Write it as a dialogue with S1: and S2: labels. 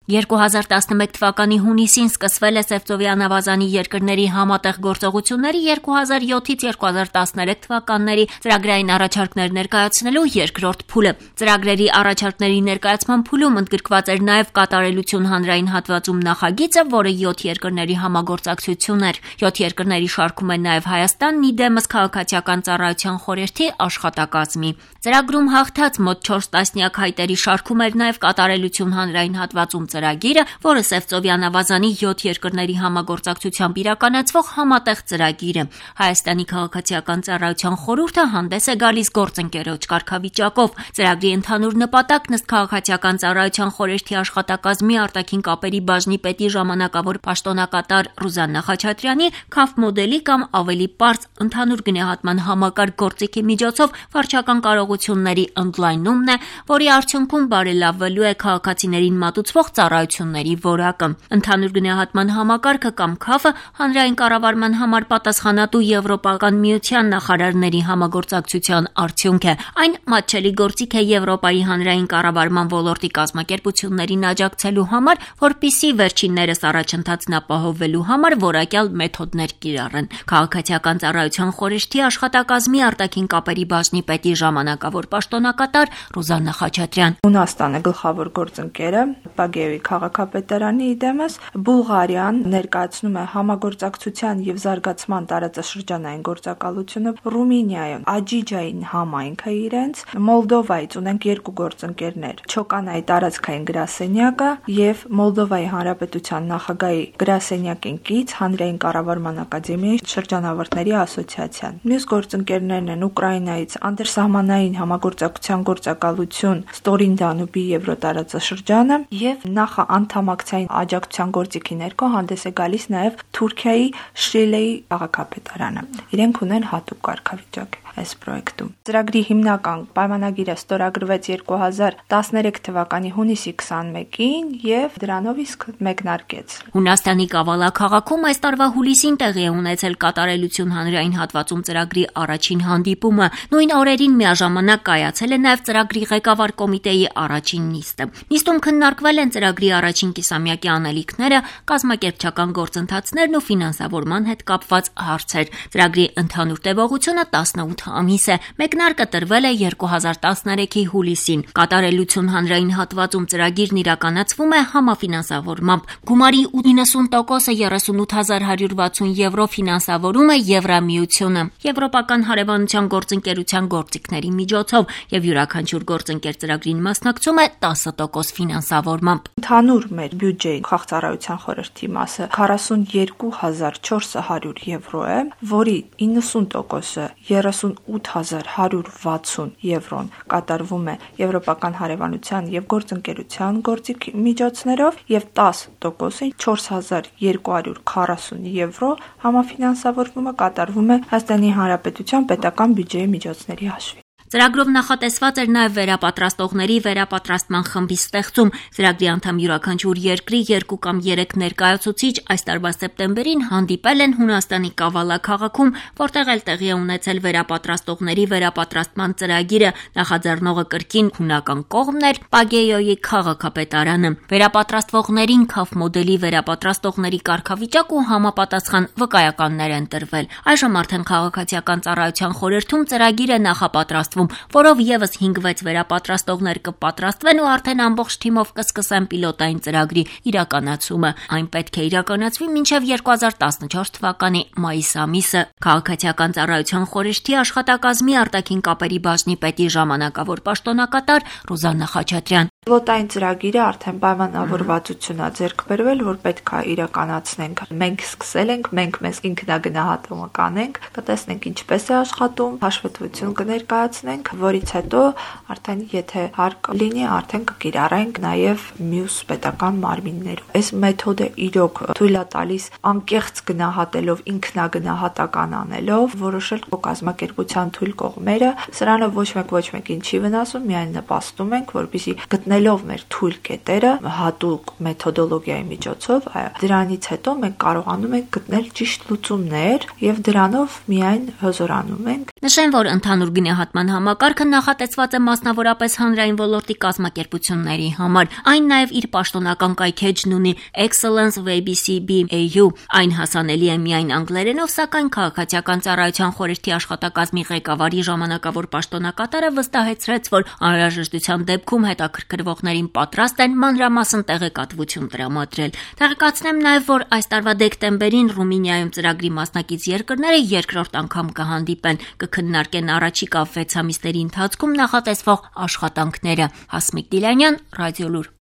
S1: 2011 թվականի հունիսին սկսվել է Սևծովյան ավազանի երկրների համատեղ գործողությունների 2007-ից 2013 թվականների ծրագրային առաջարկներ ներկայացնելու երկրորդ փուլը։ Ծրագրերի առաջարկների ներկայացման փուլում ընդգրկված էր նաև կատարելություն հանրային հատվածում նախագիծը, որը 7 երկրների համագործակցություն էր։ 7 երկրների շարքում են նաև Հայաստանն, իդեմս քաղաքացիական ծառայության խորհրդի աշխատակազմի։ Ծրագրում հաղթած մոտ 4 տասնյակ հայտերի շարքում էր նաև կատարելություն հանրային հատվածում ծրագիրը, որը Սևծովյան ավազանի 7 երկրների համագործակցությամբ իրականացվող համատեղ ծրագիր է։ Հայաստանի քաղաքացիական ծառայության խորհուրդը հանդես է գալիս գործընկերոջ կարգավիճակով։ Ծրագրի ընդհանուր նպատակն ըստ քաղաքացիական ծառայության խորհրդի աշխատակազմի արտաքին կապերի բաժնի պետի ժամանակավոր պաշտոնակատար Ռուզաննա Խաչատրյանի CAF մոդելի կամ ավելի պարզ ընդհանուր գնահատման համակարգ գործիքի միջոցով վարչական կարողությունների ընդլայնումն է, որի արդյունքում բարելավվելու է քաղաքացիներին մատուցվող ծառայությունների որակը։ Ընդհանուր գնահատման համակարգը կամ CAF-ը հանրային կառավարման համար պատասխանատու Եվրոպական միության նախարարների համագործակցության արդյունք է։ Այն մատչելի գործիք է Եվրոպայի հանրային կառավարման ոլորտի կազմակերպություններին աջակցելու համար, որպիսի վերջիններս առաջընթացն ապահովելու համար որակյալ մեթոդներ կիրառեն։ Քաղաքացիական ծառայության խորհրդի աշխատակազմի արտաքին կապերի բաժնի պետի ժամանակավոր պաշտոնակատար Ռուզաննա Խաչատրյան։
S2: Հունաստանը գլխավոր գործընկերը Պագեոյի քաղաքապետարանի իդեմս, Բուլղարիան ներկայացնում է համագործակցության եւ զարգացման տարածաշրջանային գործակալությունը, Ռումինիայում Աջիջային համայնքը իրենց, Մոլդովայից ունենք 2 գործընկերներ՝ Չոկանայի տարածքային գրասենյակը եւ Մոլդովայի Հանրապետության նախագահի գրասենյակին կից հանրային կառավարման ակադեմիայի շրջանավարտների ասոցիացիան։ Մյուս գործընկերներն են Ուկրաինայից անդերսահմանային համագործակցության գործակալություն Ստորին Դանուբի Եվրոտարածաշրջանը եւ նախաանդամակցային աջակցության գործիքի ներքո հանդես է գալիս նաեւ Թուրքիայի Շրիլեի քաղաքապետարանը։ Իրենք ունեն հատուկ կարգավիճակ այս պրոյեկտում։ Ծրագրի հիմնական պայմանագիրը ստորագրվեց 2013 թվականի հունիսի 21-ին եւ դրանով իսկ մեկնարկեց։
S1: Հունաստանի Կավալա քաղաքում այս տարվա հուլիսին տեղի է ունեցել կատարելություն հանրային հատվածում ծրագրի առաջին հանդիպումը։ Նույն օրերին միաժամանակ կայացել է նաև ծրագրի ղեկավար կոմիտեի առաջին նիստը։ Նիստում քննարկվել են ծրագրի առաջին կիսամյակի անելիքները, կազմակերպչական գործընթացներն ու ֆինանսավորման հետ կապված հարցեր։ Ծրագրի ընդհանուր տևողությունը 18 ամիս է։ Մեկնարկը տրվել է 2013-ի հուլիսին։ Կատարելություն հանրային հատվածում ծրագիրն իրականացվում է համաֆինանսավորմամբ։ Գումարի 90%-ը 38160 եվրո ֆինանսավորում է Եվրամիությունը, Եվրոպական հարևանության գործընկերության գործիքների միջոցով եւ յուրաքանչյուր գործընկեր ծրագրին մասնակցում է 10% ֆինանսավորմամբ։
S2: Ընդհանուր մեր բյուջեի քաղաքացիական խորհրդի մասը 42400 եվրո է, որի 90%-ը 38160 եվրոն կատարվում է Եվրոպական հարևանության եւ գործընկերության գործիքի միջոցներով եւ 10%-ը 4240 եվրո համաֆինանսավորումը կատարվում է Հայաստանի Հանրապետության պետական բյուջեի միջոցների հաշվին։
S1: Ծրագրով նախատեսված էր նաև վերապատրաստողների վերապատրաստման խմբի ստեղծում։ Ծրագրի անդամ յուրաքանչյուր երկրի 2 կամ 3 ներկայացուցիչ այս տարվա սեպտեմբերին հանդիպել են Հունաստանի Կավալա քաղաքում, որտեղ էլ տեղի է ունեցել վերապատրաստողների վերապատրաստման ծրագիրը։ Նախաձեռնողը կրկին հունական կողմն էր Պագեոյի քաղաքապետարանը։ Վերապատրաստվողներին CAF մոդելի վերապատրաստողների կարգավիճակ ու համապատասխան վկայականներ են տրվել։ Այժմ արդեն քաղաքացիական ծառայության խորհրդում ծրագիր է նախապատրաստվում, որով եւս 5-6 վերապատրաստողներ կպատրաստվեն ու արդեն ամբողջ թիմով կսկսեն պիլոտային ծրագրի իրականացումը։ Այն պետք է իրականացվի մինչև 2014 թվականի մայիս ամիսը։ Քաղաքացիական ծառայության խորհրդի աշխատակազմի արտաքին կապերի բաժնի պետի ժամանակավոր պաշտոնակատար Ռուզաննա Խաչատրյան։
S2: Պիլոտային ծրագիրը արդեն պայմանավորվածություն է ձեռք բերվել, որ պետք է իրականացնենք։ Մենք սկսել ենք, մենք մեզ ինքնագնահատումը կանենք, կտեսնենք ինչպես է աշխատում, հաշվետվություն կներկայացնենք, որից հետո արդեն եթե հարկ լինի, արդեն կկիրառենք նաև մյուս պետական մարմիններով։ Այս մեթոդը իրոք թույլ է տալիս անկեղծ գնահատելով, ինքնագնահատական անելով, որոշել կազմակերպության թույլ կողմերը, սրանով ոչ մեկին չի վնասում, միայն նպաստում ենք, որպեսզի գտնելով մեր թույլ կետերը հատուկ մեթոդոլոգիայի միջոցով, դրանից հետո մենք կարողանում ենք գտնել ճիշտ լուծումներ եւ դրանով միայն հզորանում ենք։
S1: Նշեմ, որ ընդհանուր գնահատման համակարգը նախատեսված է մասնավորապես հանրային ոլորտի կազմակերպությունների համար։ Այն նաև իր պաշտոնական կայքեջն ունի Excellence WBCB-AU։ Այն հասանելի է միայն անգլերենով, սակայն քաղաքացիական ծառայության խորհրդի աշխատակազմի ղեկավարի ժամանակավոր պաշտոնակատարը վստահեցրեց, որ անհրաժեշտության դեպքում հետաքրքրվողներին պատրաստ են մանրամասն տեղեկատվություն տրամադրել։ Տեղեկացնեմ նաև, որ այս տարվա դեկտեմբերին Ռումինիայում ծրագրի մասնակից երկրները երկրորդ անգամ կհանդիպեն, կքննարկեն առաջիկա 6 ամիսների ընթացքում նախատեսվող աշխատանքները։ Հասմիկ Դիլանյան, Ռադիոլուր։